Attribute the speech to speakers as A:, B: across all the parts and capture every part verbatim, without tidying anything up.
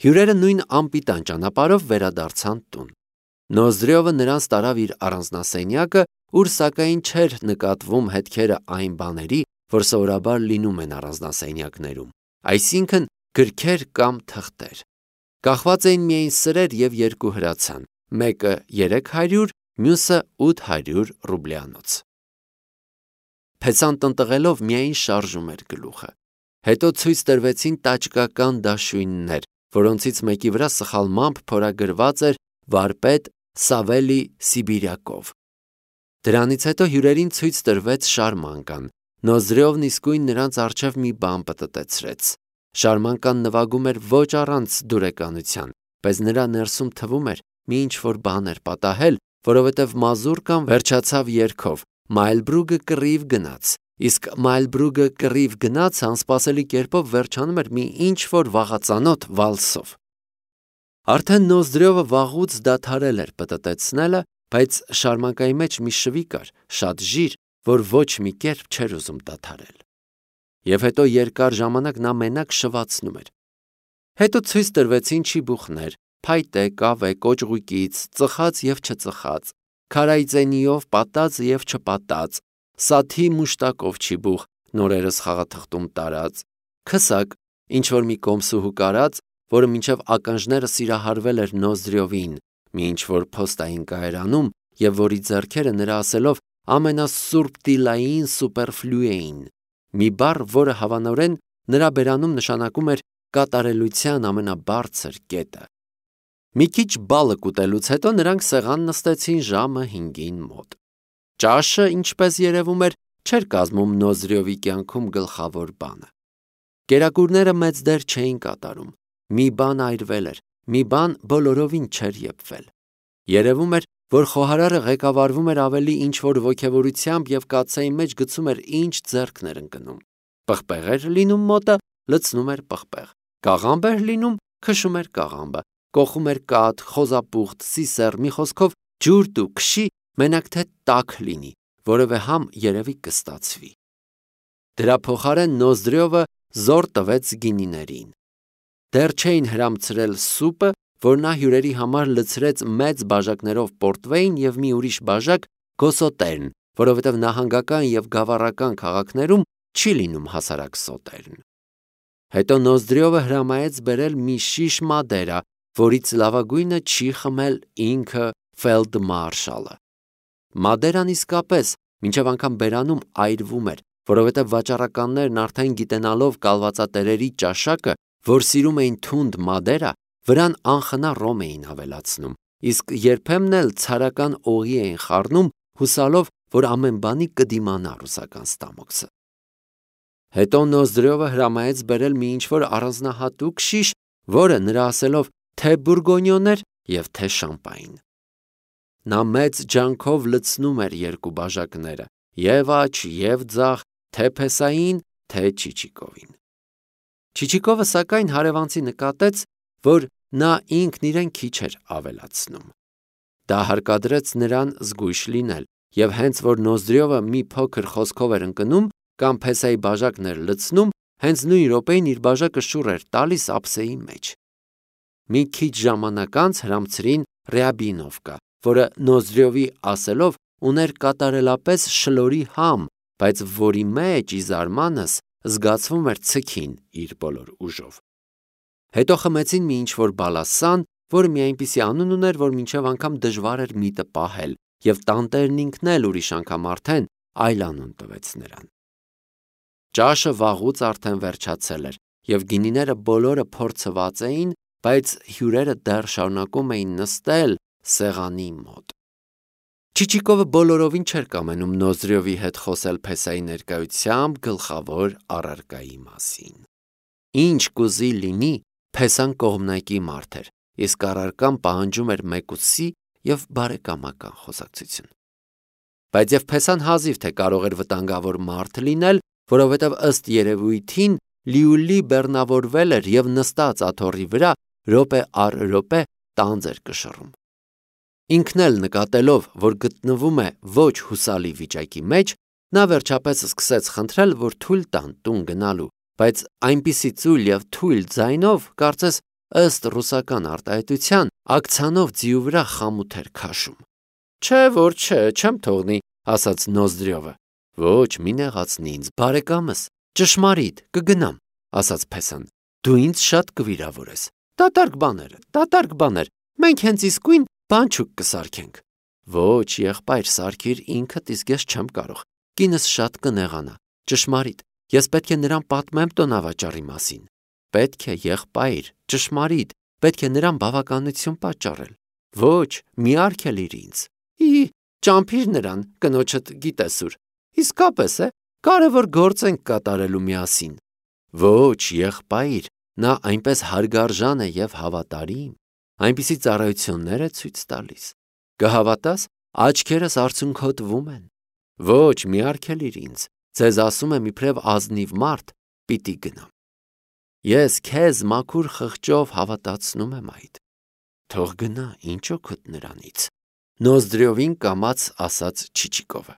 A: Հյուրերը նույն անպիտան ճանապարհով վերադարձան տուն։ Նոզդրյովը նրանց տարավ իր առանձնասենյակը, ուր սակայն չէր նկատվում հետքերը այն բաների, որ սովորաբար լինում են առանձնասենյակներում, այսինքն գրքեր կամ թղթեր։ Կախված էին միայն սրեր և երկու հրացան, մեկը երեք հարյուր, մյուսը ութ հարյուր ռուբլյանոց։ Փեսան տնտղելով միայն շարժում էր գլուխը։ Հետո ցույց տրվեցին տաճկական դաշույններ, որոնցից մեկի վրա սխալմամբ փորագրված էր վարպետ Սավելի Սիբիրյակով։ Դրանից հետո հյուրերին ցույց տրվեց շարմանկան։ Նոզդրյովն իսկույն նրանց առջև մի բան պտտեցրեց։ Շարմանկան նվագում էր ոչ առանց դուրեկանության, բայց նրա ներսում թվում էր մի ինչ-որ բան էր պատահել, որովհետև մազուրկան վերջացավ երգով. Մայլբրուգը կռիվ գնաց, իսկ Մայլբրուգը կռիվ գնաց անսպասելի կերպով վերջանում էր մի ինչ-որ վաղածանոթ վալսով։ Արդեն Նոզդրյովը վաղուց դադարել էր պտտեցնելը, բայց շարմանկայի մեջ մի շվի կար, շատ ժիր, որ ոչ մի կերպ չէր ուզում դադարել։ Եվ հետո երկար ժամանակ նա մենակ շվացնում էր։ Հետո ցույց տրվեցին չիբուխներ, փայտե, կավե, կոճղուկից, ծխած և չծխած, քարայծենիով պատած և չպատած, սաթի մուշտակով չիբուխ, նորերս խաղաթղթում տարած, քսակ, ինչ-որ մի կոմսուհու կարած, որը մինչև ականջները սիրահարվել էր Նոզդրյովին, մի ինչ-որ փոստային կայարանում, և որի ձեռքերը նրա ասելով ամենասուրբտիլային սուպերֆլու էին, մի բառ, որը հավանորեն նրա բերանում նշանակում էր կատարելության ամենաբարձր կետը։ Մի քիչ բալը կուտելուց հետո նրանք սեղան նստեցին ժամը հինգին մոտ։ Ճաշը, ինչպես երևում էր, չէր կազմում Նոզդրյովի կյանքում գլխավոր բանը։ Կերակուրները մեծ դեր չէին կատարում։ Մի բան այրվել էր, մի բան բոլորովին չէր եփվել։ Երևում էր, որ խոհարարը ղեկավարվում էր ավելի ինչ-որ ոգևորությամբ և կաթսայի մեջ գցում էր ինչ ձեռքն էր ընկնում։ Պղպեղ էր լինում մոտը, լցնում էր պղպեղ։ Կաղամբ էր լինում, քշում էր կաղամբը, կոխում էր կաթ, խոզապուխտ, սիսեռ, մի խոսքով ջուրդ ու քշի, մենակ թե տաք լինի, որևէ համ երևի կստացվի։ Դրա փոխարեն Նոզդրյովը զոր տվեց գինիներին։ Դեռ չէին հրամցրել սուպը, որ նա հյուրերի համար լցրեց մեծ բաժակներով պորտվեյն և մի ուրիշ բաժակ գոսոտերն, որովհետև նահանգական և գավառական քաղաքներում չի լինում հասարակ սոտերն։ Հետո Նոզդրյովը հրամայեց բերել մի շիշ մադերա, որից լավագույնը չի խմել ինքը ֆելդմարշալը։ Մադերան իսկապես մինչև անգամ բերանում այրվում էր, որովհետև վաճառականներն արդեն գիտենալով կալվածատերերի ճաշակը, որ սիրում էին թունդ մադերա, վրան անխնա ռոմ էին ավելացնում, իսկ երբեմն էլ ցարական օղի էին խառնում, հուսալով, որ ամեն բանի կդիմանա ռուսական ստամոքսը։ Հետո Նոզդրյովը հրամայեց բերել մի ինչ-որ առանձնահատուկ շիշ, որը նրա ասելով թե բուրգոնյոն էր և թե շամպայն։ Նա մեծ ջանքով լցնում էր երկու բաժակները, և աջ, և ձախ, թե Փեսային, թե Չիչիկովին։ Չիչիկովը սակայն հարևանցի նկատեց, որ նա ինքն իրեն քիչ էր ավելացնում։ Դա հարկադրեց նրան զգույշ լինել, և հենց որ Նոզդրյովը մի փոքր խոսքով էր ընկնում կամ Փեսայի բաժակն էր լցնում, հենց նույն րոպեին իր բաժակը շուռ էր տալիս ափսեի մեջ։ Մի քիչ ժամանակ անց հրամցրին Ռյաբինովկա, որը Նոզդրյովի ասելով ուներ կատարելապես շլորի համ, բայց որի մեջ, ի զարմանս, զգացվում էր ցքին իր բոլոր ուժով։ Հետո խմեցին մի ինչ-որ բալասան, որը մի այնպիսի անուն ուներ, որ մինչև անգամ դժվար էր միտը պահել, և տանտերն ինքն էլ ուրիշ անգամ արդեն այլ անուն տվեց նրան։ Ճաշը վաղուց արդեն վերջացել էր, և գինիները բոլորը փորձված էին, բայց հյուրերը դեռ շարունակում էին նստել սեղանի մոտ։ Չիչիկովը բոլորովին չէր կամենում Նոզդրյովի հետ խոսել Փեսայի ներկայությամբ գլխավոր առարկայի մասին։ Ինչ կուզի լինի, Փեսան կողմնակի մարդ էր, իսկ առարկան պահանջում էր մեկուսի և բարեկամական խոսակցություն։ Բայց և Փեսան հազիվ թե կարող էր վտանգավոր մարդ լինել, որովհետև ըստ երևույթին լիուլի բեռնավորվել էր և նստած աթոռի վրա րոպե առ րոպե տանձ էր կշռում։ Ինքն էլ նկատելով, որ գտնվում է ոչ հուսալի վիճակի մեջ, նա վերջապես սկսեց խնդրել, որ թույլ տան տուն գնալու, բայց այնպիսի ծույլ և թույլ ձայնով, կարծես ըստ ռուսական արտահայտության, ակցանով ձիու վրա խամութ էր քաշում։ Չէ, որ չէ, չեմ թողնի, ասաց Նոզդրյովը։ Ոչ, մի նեղացնի ինձ, բարեկամս, ճշմարիտ, կգնամ, ասաց Փեսան։ Դու ինձ շատ կվիրավորես։ Դատարկ բաներ, դատարկ բաներ, մենք հենց իսկույն բանջուկ կսարքենք։ Ոչ, եղբայր, սարքիր ինքդ, իսկ ես չեմ կարող։ Կինս շատ կնեղանա։ Ճշմարիտ, ես պետք է նրան պատմեմ տոնավաճառի մասին։ Պետք է, եղբայր, ճշմարիտ, պետք է նրան բավականություն պատճառել։ Ոչ, մի արգելիր ինձ։ Ի, ճամփիր նրան, կնոջդ գիտես ուր։ Իսկապես է, կարևոր գործ ենք կատարելու միասին։ Ոչ, եղբայր, նա այնպես հարգարժան է եւ հավատարիմ, այնպիսի ծառայություններ է ցույց տալիս։ Կհավատաս, աչքերս արցունքոտվում են։ Ոչ, մի արգելիր ինձ, ձեզ ասում եմ իբրև ազնիվ մարդ, պիտի գնամ։ Ես քեզ մաքուր խղճով հավատացնում եմ այդ։ Թող գնա, ինչ օգուտ նրանից։ Նոզդրյովին կամաց ասաց Չիչիկովը։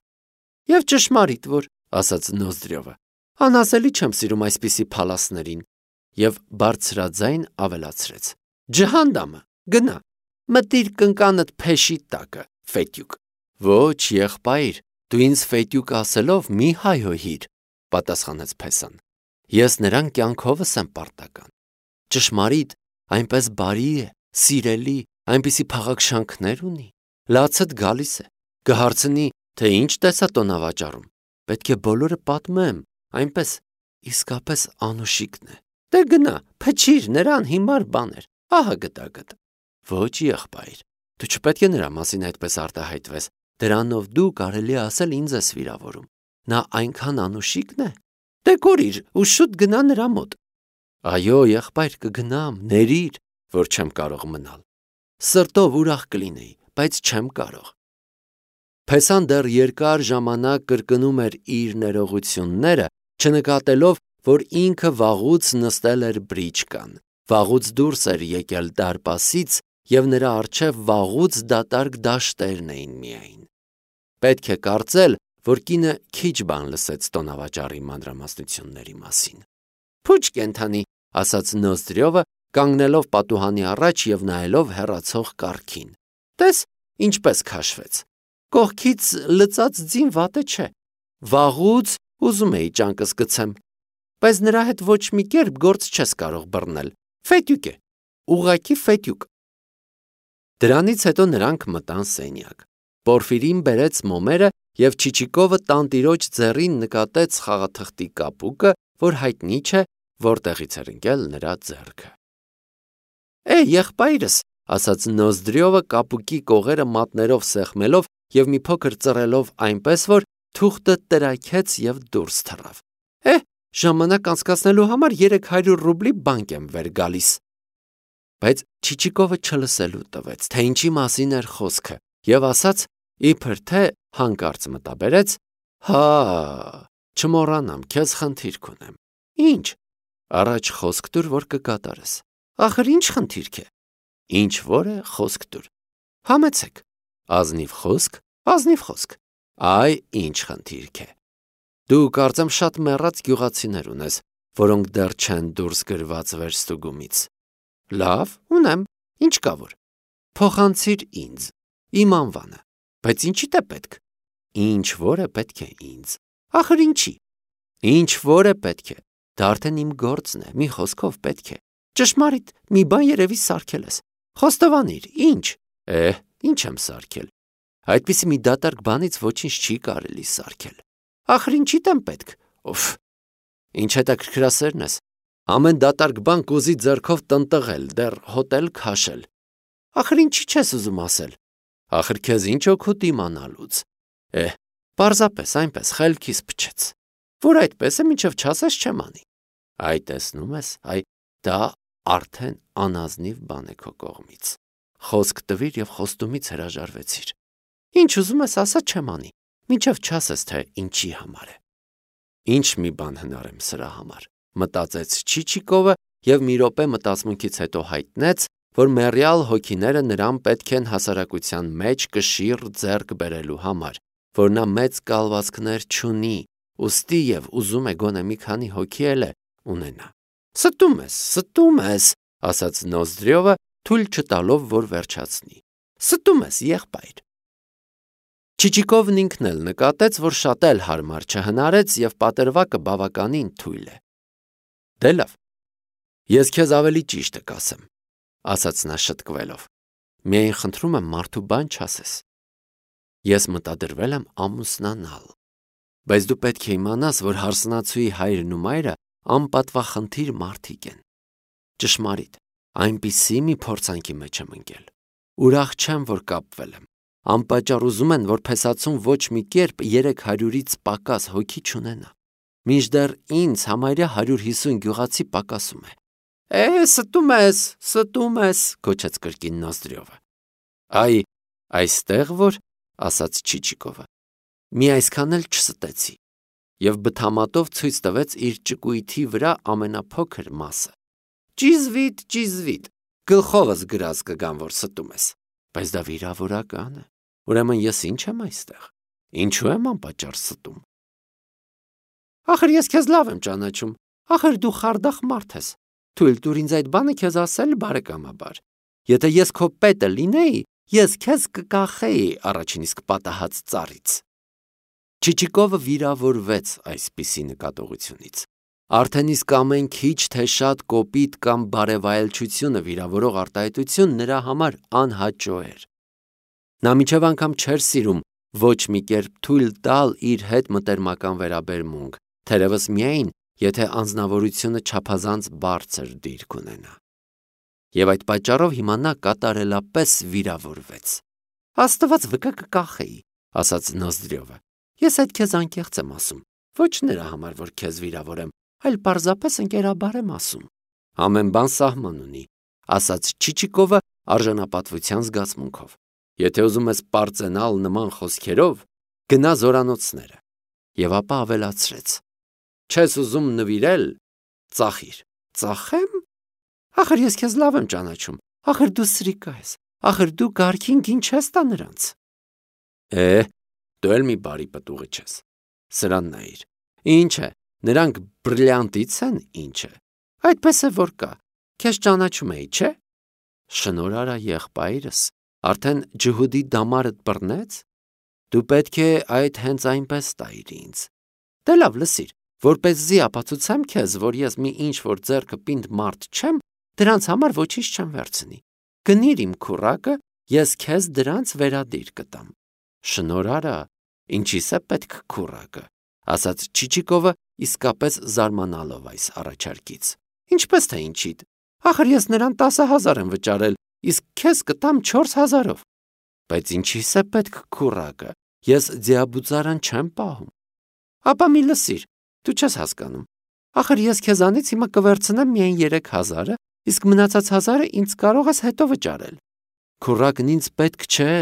A: Եվ ճշմարիտ որ, ասաց Նոզդրյովը, անասելի չեմ սիրում այսպիսի փալասներին, եւ բարձրաձայն ավելացրեց. Ջհանդամը, գնա, մտիր կնկանդ փեշի տակը, ֆետյուկ։ Ոչ, եղբայր, դու ինձ ֆետյուկ ասելով մի հայհոյիր, պատասխանեց Փեսան։ Ես նրան կյանքովս եմ պարտական։ Ճշմարիտ, այնպես բարի է, սիրելի, այնպիսի փաղաքշանքներ ունի։ Լացդ գալիս է, կհարցնի, թե ինչ տեսա տոնավաճառում։ Պետք է բոլորը պատմեմ, այնպես իսկապես անուշիկն է։ Դե գնա, փչիր նրան հիմար բաներ, ահա գտագտ։ Ոչ, եղբայր, դու չպետք է նրա մասին այդպես արտահայտվես, դրանով դու կարելի ասել ինձ ես վիրավորում։ Նա այնքան անուշիկն է։ Դե կորիր ու շուտ գնա նրա մոտ։ Այո, եղբայր, կգնամ, ներիր, որ չեմ կարող մնալ։ Սրտով ուրախ կլինեի, բայց չեմ կարող։ Փեսան դեռ երկար ժամանակ կրկնում էր իր ներողությունները, չնկատելով, որ ինքը վաղուց նստել էր բրիչկան, վաղուց դուրս էր եկել դարպասից եւ նրա առջև վաղուց դատարկ դաշտերն էին միայն։ Պետք է կարծել, որ կինը քիչ բան լսեց տոնավաճառի մանրամասնությունների մասին։ Փուչ կենթանի, ասաց Նոզդրյովը, կանգնելով պատուհանի առաջ եւ նայելով հեռացող կառքին։ Տես, ինչպես քաշվեց։ Կողքից լծած ձին վատը չէ։ Վաղուց ուզում էի ճանկս գցեմ, բայց նրա հետ ոչ մի կերպ գործ չես կարող բռնել։ Ֆետյուկ է, ուղղակի ֆետյուկ։ Դրանից հետո նրանք մտան սենյակ։ Պորֆիրին բերեց մոմերը եւ Չիչիկովը տանտիրոջ ձեռին նկատեց խաղաթղթի կապուկը, որ հայտնի չէ, որտեղից էր ընկել նրա ձեռքը։ Է, եղբայրս, ասաց Նոզդրյովը կապուկի կողերը մատներով սեղմելով եւ մի փոքր ծռելով այնպես, որ թուղթը տրաքեց եւ դուրս թռավ։ Է, ժամանակ անցկացնելու համար երեք հարյուր ռուբլի բանկ եմ վեր գալիս։ Բայց Չիչիկովը չլսելու տվեց, թե ինչի մասին էր խոսքը, եւ ասաց, իբր թե հանկարծ մտաբերեց. Հա, չմոռանամ, քեզ խնդիրք ունեմ։ Ինչ։ Առաջ խոսք տուր, որ կկատարես։ Ախր ինչ խնդիրք է։ Ինչ որ է, խոսք տուր։ Համեցեք։ Ազնիվ խոսք, ազնիվ խոսք։ Այ ինչ խնդիրք է։ Դու կարծեմ շատ մեռած գյուղացիներ ունես, որոնք դեռ չեն դուրս գրված վերստուգումից։ Լավ, ունեմ, ինչ կա որ։ Փոխանցիր ինձ, իմ անվանը, բայց ինչի՞ է պետք։ Ինչ որ է պետք է ինձ։ Ախր ինչի։ Ինչ որ է պետք է։ Դա արդեն իմ գործն է, մի խոսքով պետք է։ Ճշմարիտ, մի բան երևի սարքել ես։ Խոստովանիր, ինչ։ Է, ինչ եմ սարքել։ Այդպիսի մի դատարկ բանից ոչինչ չի կարելի սարքել։ Ախր ինչի՞դ եմ պետք։ Օֆ։ Ինչ հետաքրքրասերն ես։ Ամեն դատարկ բան կուզի ձեռքով տնտղել, դեռ հոտել քաշել։ Ախր ինչի՞ չես ուզում ասել։ Ախր քեզ ինչ օգուտ իմանալուց։ Է, պարզապես այնպես խելքիս փչեց։ Որ այդպես է, մինչև չասես չեմ անի։ Այ տեսնում ես, այ դա արդեն անազնիվ բան է քո կողմից։ Խոսք տվիր եւ խոստումից հրաժարվեցիր։ Ինչ ուզում ես ասա չեմ անի, մինչև չասես թե ինչի համար է։ Ինչ մի բան հնարեմ սրա համար, մտածեց Չիչիկովը եւ մի րոպե մտածմունքից հետո հայտնեց, որ մեռյալ հոգիները նրան պետք են հասարակության մեջ կշիռ ձեռք բերելու համար, որ նա մեծ կալվածքներ չունի, ուստի եւ ուզում է գոնե մի քանի հոգի էլ է ունենա։ Ստում ես, ստում ես, ասաց Նոզդրյովը, թույլ չտալով, որ վերջացնի։ Ստում ես, եղբայր։ Չիչիկովն ինքն էլ նկատեց, որ շատ էլ հարմար չհնարեց և պատրվակը բավականին թույլ է։ Դե լավ, ես քեզ ավելի ճիշտը կասեմ, ասաց նա շտկվելով։ Միայն խնդրում եմ մարդու բան չասես։ Ես մտադրվել եմ ամուսնանալ, բայց դու պետք է իմանաս, որ հարսնացուի հայրն ու մայրը անպատվախնդիր մարդիկ են։ Ճշմարիտ, այնպիսի մի փորձանքի մեջ եմ ընկել։ Ուրախ չեմ, որ կապվել եմ։ Անպատճառ ուզում են, որ փեսացուն ոչ մի կերպ երեք հարյուրից պակաս հոգի չունենա։ Մինչդեռ ինձ համարյա հարյուր հիսուն գյուղացի պակասում է։ Է, ստում ես, ստում ես, գոչեց կրկին Նոզդրյովը։ Այ, այստեղ որ, ասաց Չիչիկովը, մի այսքան էլ չստեցի, և բթամատով ցույց տվեց իր ճկույթի վրա ամենափոքր մասը։ Ճիզվիտ, ճիզվիտ, գլխովս գրած կգամ, որ ստում ես, բայց դա վիրավորական է, ուրեմն ես ինչ եմ այստեղ, ինչու եմ անպատճառ ստում։ Ախր ես քեզ լավ եմ ճանաչում, ախր դու խարդախ մարդ ես, թույլ տուր ինձ այդ բանը քեզ ասել բարեկամաբար։ Եթե ես քո պետը լինեի, ես քեզ կկախեի առաջին իսկ պատահած ծառից։ Չիչիկովը վիրավորվեց այսպիսի նկատողությունից։ Արդեն իսկ ամեն քիչ թե շատ կոպիտ կամ բարևայելչությունը վիրավորող արտահայտություն նրա համար անհաճո էր։ Նա մինչև անգամ չէր սիրում ոչ մի կերպ թույլ տալ իր հետ մտերմական վերաբերմունք, թերևս միայն, եթե անձնավորությունը չափազանց բարձր դիրք ունենա։ Եվ այդ պատճառով հիմա նա կատարելապես վիրավորվեց։ Աստված վկա կկախեի, ասաց Նոզդրյովը։ Ես այդ քեզ անկեղծ եմ ասում, ոչ նրա համար, որ քեզ վիրավորեմ, այլ պարզապես ընկերաբար եմ ասում։ Ամեն բան սահման ունի, ասաց Չիչիկովը արժանապատվության զգացմունքով։ Եթե ուզում ես պարծենալ նման խոսքերով, գնա զորանոցները։ Եվ ապա ավելացրեց. Չես ուզում նվիրել, ծախիր։ Ծախեմ։ Ախր ես քեզ լավ եմ ճանաչում, ախր դու սրիկա ես, ախր դու գարքին գին չես տա նրանց։ Է, դու էլ մի բարի պտուղը չես։ Սրան նայիր։ Ինչ է, նրանք բրիլյանտից են, ինչ է։ Այդպես է որ կա, քեզ ճանաչում էի, չէ։ Շնորհարա եղբայրս, արդեն ջհուդի դամարդ բռնեց։ Դու պետք է այդ հենց այնպես տայիր ինձ։ Դե լավ, լսիր, որպեսզի ապացուցեմ քեզ, որ ես մի ինչ-որ ձեռքը պինդ մարդ չեմ, դրանց համար ոչինչ չեմ վերցնի։ Գնիր իմ քուռակը, ես քեզ դրանց վերադիր կտամ։ Շնորհարա, ինչի՞ս է պետք քուռակը, ասաց Չիչիկովը, իսկապես զարմանալով այս առաջարկից։ Ինչպես թե ինչիդ։ Ախր ես նրան տասը հազար եմ վճարել, իսկ քեզ կտամ չորս հազարով։ Բայց ինչի՞ս է պետք քուռակը, ես ձիաբուծարան չեմ պահում։ Ապա մի լսիր, դու չես հասկանում։ Ախր ես քեզանից հիմա կվերցնեմ միայն երեք հազարը, իսկ մնացած հազարը ինձ կարող ես հետո վճարել։ Քուռակն ինձ պետք չէ,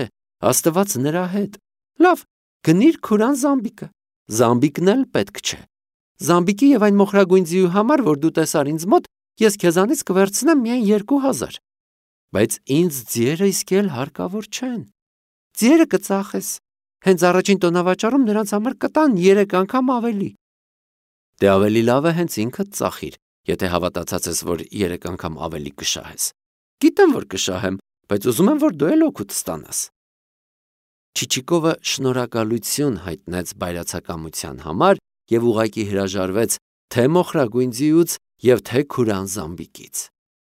A: Աստված նրա հետ։ Լավ, գնիր քուրան Զամբիկը։ Զամբիկն էլ պետք չէ։ Զամբիկի եւ այն մոխրագույն ձիու համար, որ դու տեսար ինձ մոտ, ես քեզանից կվերցնեմ միայն երկու հազար։ Բայց ինձ ձիերը իսկ էլ հարկավոր չեն։ Ձիերը կծախես։ Հենց առաջին տոնավաճառում նրանց համար կտան երեք անգամ ավելի։ Դե ավելի լավ է հենց ինքդ ծախիր, եթե հավատացած ես, որ երեք անգամ ավելի կշահես։ Գիտեմ, որ կշահեմ, բայց ուզում եմ, որ դու էլ օգուտ ստանաս։ Չիչիկովը շնորհակալություն հայտնեց բայրացակամության համար և ուղղակի հրաժարվեց թե մոխրագույն ձիուց և թե քուրան Զամբիկից։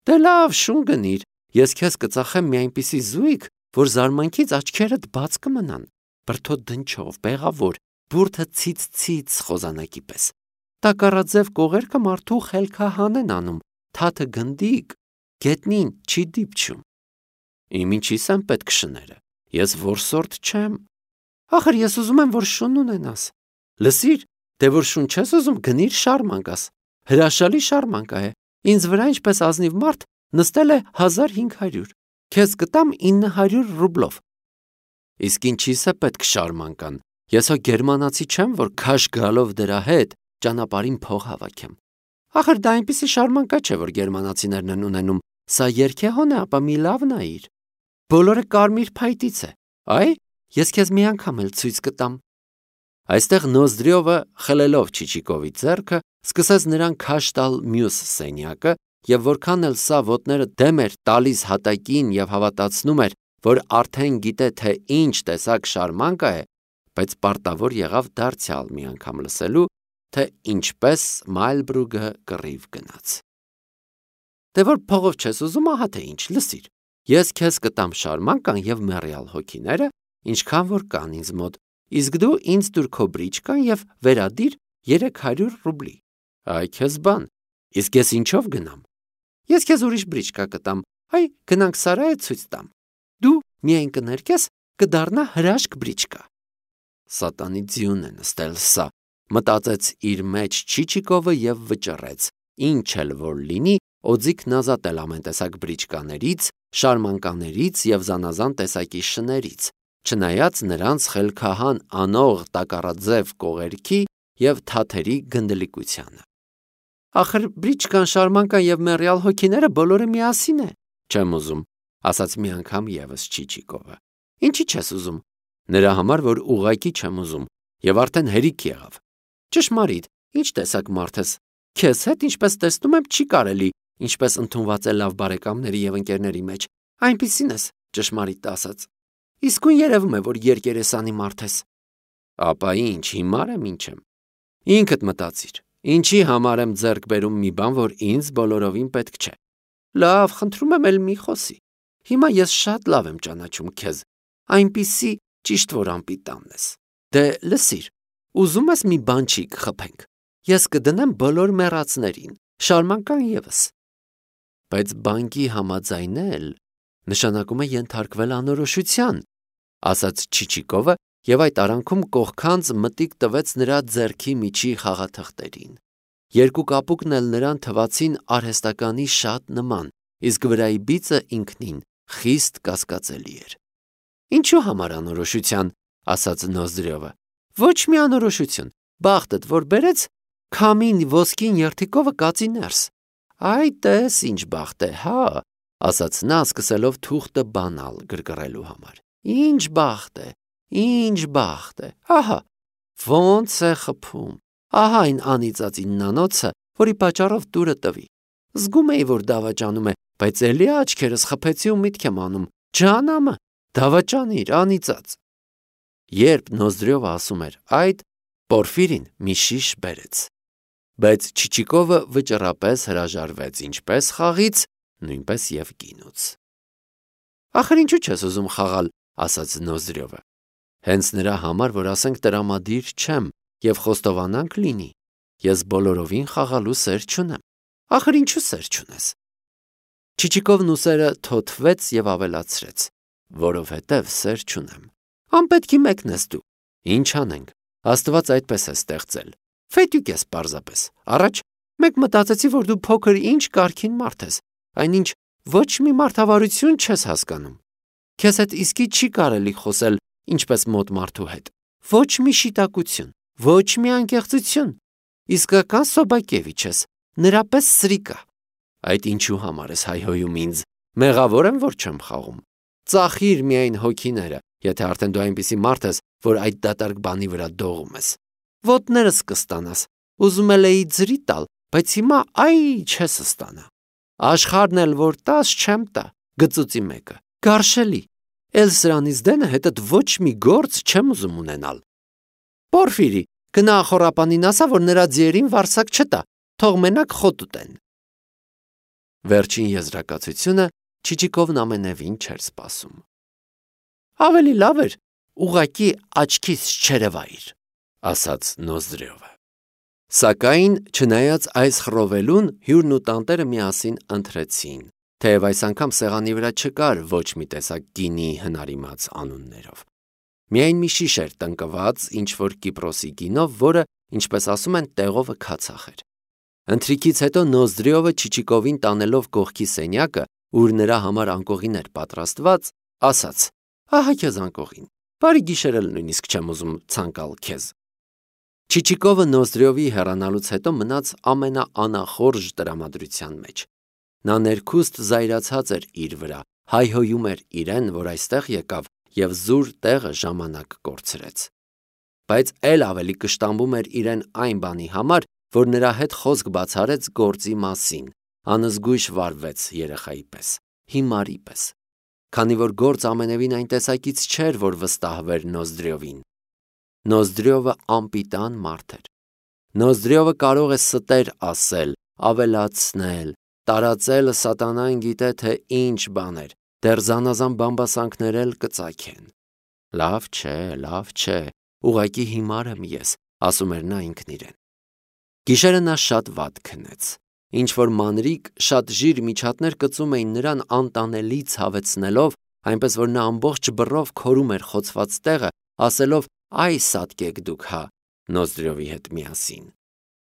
A: Դե լավ, շուն գնիր, ես քեզ կծախեմ մի այնպիսի զույգ, որ զարմանքից աչքերդ բաց կմնան, բրդոտ դնչով, բեղավոր, բուրդը ցից-ցից խոզանակի պես։ Տակառաձև կողերքը մարդու խելքահան են անում, թաթը գնդիկ, գետնին չի դիպչում։ Իմ ինչի՞ս են պետք շները, ես որսորդ չեմ։ Ախր ես ուզում եմ, որ շուն ունենաս։ Լսիր, դե որ շուն չես ուզում, գնիր շարմանկաս։ Հրաշալի շարմանկա է, ինձ վրա ինչպես ազնիվ մարդ նստել է հազար հինգ հարյուր, քեզ կտամ ինը հարյուր ռուբլով։ Իսկ ինչի՞ս է պետք շարմանկան, ես հո գերմանացի չեմ, որ քաշ գալով դրա հետ ճանապարհին փող հավաքեմ։ Ախր դա այնպիսի շարմանկա չէ, որ գերմանացիներն են ունենում, սա երգեհոն է, ապա մի լավ նայիր։ Բոլորը կարմիր փայտից է, այ, ես քեզ մի անգամ էլ ցույց կտամ։ Այստեղ Նոզդրյովը, խլելով Չիչիկովի ձեռքը, սկսեց նրան քաշ տալ մյուս սենյակը, եւ որքան էլ սա ոտները դեմ էր տալիս հատակին եւ հավատացնում էր, որ արդեն գիտե թե ինչ տեսակ շարմանկա է, բայց պարտավոր եղավ դարձյալ մի անգամ լսելու, թե ինչպես Մայլբրուգը կռիվ գնաց։ Դե որ փողով չես ուզում, ահա թե ինչ, լսիր, ես քեզ կտամ շարմանկան եւ մեռյալ հոգիները, ինչքան որ կան ինձ մոտ, իսկ դու ինձ տուր քո բրիչկան եւ վերադիր երեք հարյուր ռուբլի։ Այ քեզ բան, իսկ ես ինչով գնամ։ Ես քեզ ուրիշ բրիչկա կտամ, այ գնանք Սարայը ցույց տամ։ Դու միայն կներկես, կդառնա հրաշք բրիչկա։ Սատանի ձյուն է նստել սա, մտածեց իր մեջ Չիչիկովը եւ վճռեց, ինչ էլ որ լինի, օձիքն ազատել ամեն տեսակ բրիչկաներից, շարմանկաներից եւ զանազան տեսակի շներից, չնայած նրանց խելքահան անող տակառաձև կողերքի եւ թաթերի գնդլիկությանը։ Ախր բրիչկան, շարմանկան եւ մեռյալ հոգիները բոլորը միասին է, չեմ ուզում, ասաց մի անգամ եւս Չիչիկովը։ Ինչի՞ չես ուզում։ Նրա համար, որ ուղակի չեմ ուզում, եւ արդեն հերիք եղավ։ Ճշմարիտ, ինչ տեսակ մարդ ես։ Քեզ հետ, ինչպես տեսնում եմ, չի կարելի, ինչպես ընդունված է լավ բարեկամների եւ ընկերների մեջ։ Այնպիսին ես, ճշմարիտ ասած։ Իսկույն երևում է, որ երկերեսանի մարդ ես։ Ապա ինչ, հիմար եմ, ինչ եմ։ Ինքդ մտածիր, ինչի համար եմ ձեռք բերում մի բան, որ ինձ բոլորովին պետք չէ։ Լավ, խնդրում եմ, էլ մի խոսի։ Հիմա ես շատ լավ եմ ճանաչում քեզ, այնպիսի ճիշտ որ անպիտանն ես։ Դե լսիր, ուզում ես մի բանջիկ խփենք։ Ես կդնեմ բոլոր մեռածներին, շարմանկան եւս։ Բայց բանկի համաձայնել նշանակում է ենթարկվել անորոշության, ասաց Չիչիկովը եւ այդ արանքում կողքանց մտիկ տվեց նրա ձեռքի միջի խաղաթղթերին։ Երկու կապուկն էլ նրան թվացին արհեստականի շատ նման, իսկ վրայի բիծը ինքնին խիստ կասկածելի էր։ Ինչու համար անորոշության, ասաց Նոզդրյովը։ Ոչ մի անորոշություն, բախտդ որ բերեց, քամին ոսկին երթիկովը կածի ներս։ Այ տես ինչ բախտ է, հա, ասաց նա սկսելով թուղթը բանալ գրգռելու համար։ Ինչ բախտ է, ինչ բախտ է, ահա, ոնց է խփում, ահա այն անիծածի նանոցը, որի պատճառով տուրը տվի։ Զգում էի, որ դավաճանում է, բայց էլի աչքերս խփեցի ու միտք եմ անում, ջանամը, դավաճանիր, անիծած։ Երբ Նոզդրյովը ասում էր այդ, Պորֆիրին մի շիշ բերեց։ Բայց Չիչիկովը վճռապես հրաժարվեց ինչպես խաղից, նույնպես եւ գինուց։ Ախր ինչու չես ուզում խաղալ, ասաց Նոզդրյովը։ Հենց նրա համար, որ ասենք տրամադիր չեմ եւ խոստովանանք լինի, ես բոլորովին խաղալու սեր չունեմ։ Ախր ինչու սեր չունես։ Չիչիկովն ուսերը թոթվեց եւ ավելացրեց, որովհետեւ սեր չունեմ։ Անպետքի մեկն ես դու։ Ինչ անենք։ Աստված այդպես է ստեղծել։ Ֆետյուկ ես պարզապես։ Առաջ մեկ մտածեցի, որ դու փոքր ինչ կարգին մարդ ես, այնինչ ոչ մի մարդավարություն չես հասկանում։ Քեզ հետ իսկի չի կարելի խոսել ինչպես մոտ մարդու հետ։ Ոչ մի շիտակություն, ոչ մի անկեղծություն։ Իսկական Սոբակևիչ ես, նրա պես սրիկա։ Այդ ինչու համար ես հայհոյում ինձ։ Մեղավոր եմ, որ չեմ խաղում։ Ծախիր միայն հոգիները, եթե արդեն դու այնպիսի մարդ ես, որ այդ դատարկ բանի վրա դողում ես։ Ոտներս կստանաս, ուզում էի ձրի տալ, բայց հիմա այ չես ստանա։ Աշխարհն էլ որ տաս չեմ տա, գծուծի մեկը։ Գարշելի։ Էլ սրանից դենը հետդ ոչ մի գործ չեմ ուզում ունենալ։ Պորֆիրի, գնա ախորապանին ասա, որ նրա ձիերին վարսակ չտա, թող մենակ խոտ ուտեն։ Վերջին եզրակացությունը Չիչիկովն ամենևին չէր սպասում։ Ավելի լավ էր, ուղակի աչքից չերևայր, ասաց Նոզդրյովը։ Սակայն, չնայած այս խռովելուն, հյուրն ու տանտերը միասին ընթրեցին, թեև այս անգամ սեղանի վրա չկար ոչ մի տեսակ գինի հնարիմաց անուններով։ Միայն մի շիշ էր տնկված ինչ-որ Կիպրոսի գինով, որը, ինչպես ասում են, տեղովը քացախ էր։ Ընթրիքից հետո Նոզդրյովը Չիչիկովին տանելով կողքի սենյակը, ուր նրա համար անկողին էր պատրաստված, ասաց. Ահա քեզ անկողին, բարի գիշեր էլ նույնիսկ չեմ ուզում ցանկալ քեզ։ Չիչիկովը Նոզդրյովի հեռանալուց հետո մնաց ամենաանախորժ տրամադրության մեջ։ Նա ներքուստ զայրացած էր իր վրա, հայհոյում էր իրեն, որ այստեղ եկավ եւ զուր տեղը ժամանակ կորցրեց։ Բայց էլ ավելի կշտամբում էր իրեն այն բանի համար, որ նրա հետ խոսք բացարեց գործի մասին, անզգույշ վարվեց երեխայի պես, հիմարի պես, քանի որ գործ ամենևին այն տեսակից չէր, որ վստահվեր Նոզդրյովին։ Նոզդրյովը անպիտան մարդ էր։ Նոզդրյովը կարող է ստեր ասել, ավելացնել, տարածել սատանան գիտե թե ինչ բաներ, դեռ զանազան բամբասանքներ էլ կծագեն։ Լավ չէ, լավ չէ, ուղղակի հիմար եմ ես, ասում էր նա ինքն իրեն։ Գիշերը նա շատ վատ քնեց, ինչ-որ մանրիկ շատ ժիր միջատներ կծում էին նրան անտանելի ցավեցնելով, այնպես որ նա ամբողջ բռով քորում էր խոցված տեղը, ասելով՝ «Այ սատկեք դուք հա» Նոզդրյովի հետ միասին։